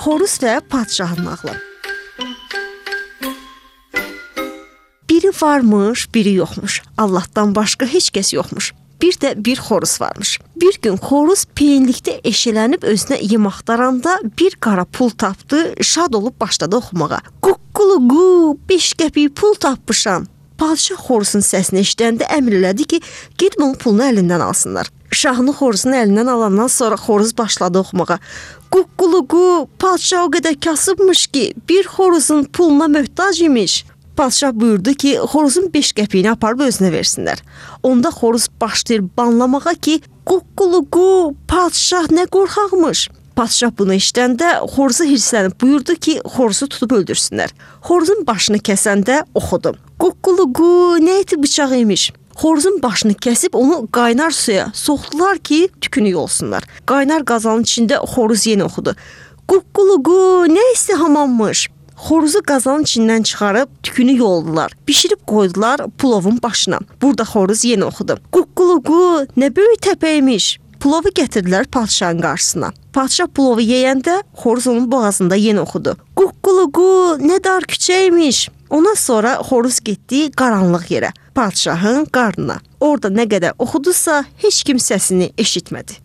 Xoruz və padşahın nağılı. Biri varmış, biri yoxmuş. Allahdan başqa heç kəs yoxmuş. Bir də bir xoruz varmış. Bir gün xoruz peyinlikdə eşələnib özünə yem axtaranda bir qara pul tapdı, şad olub başladı oxumağa. Quqquluqu, 5 qəpik pul tapmışam. Padşah xoruzun səsini eşidəndə əmr elədi ki, gedib onun pulunu əlindən alsınlar. Şahını xoruzun əlindən alandan sonra xoruz başladı oxumağa. Quqquluqu, padşah o qədər kasıbmış ki, bir xoruzun puluna möhtac imiş. Padşah buyurdu ki, xoruzun 5 qəpiyini aparıb özünə versinlər. Onda xoruz başlayır banlamağa ki, quqquluqu, padşah nə qorxaqmış. Padşah bunu eşidəndə xoruzu hirslənib buyurdu ki, xoruzu tutub öldürsünlər. Xoruzun başını kəsəndə oxudu. Quqquluqu, nə eti bıçaq imiş. Xoruzun başını kəsib onu qaynar suya soxdular ki, tükünü yolsunlar. Qaynar qazanın içində xoruz yenə oxudu. Quqquluqu, nə istihamanmış. Xoruzu qazanın içindən çıxarıb tükünü yoldular. Bişirib qoydular pulovun başına. Burada xoruz yenə oxudu. Quqquluqu, nə böyük təpəymiş. Pulovu gətirdilər padşahın qarşısına. Padşah pulovu yeyəndə xoruz onun boğazında yenə oxudu. Quqquluqu, nə dar küçəymiş. Ondan sonra xoruz getdi qaranlıq yerə, padşahın qarnına. Orada nə qədər oxudusa heç kim səsini eşitmədi.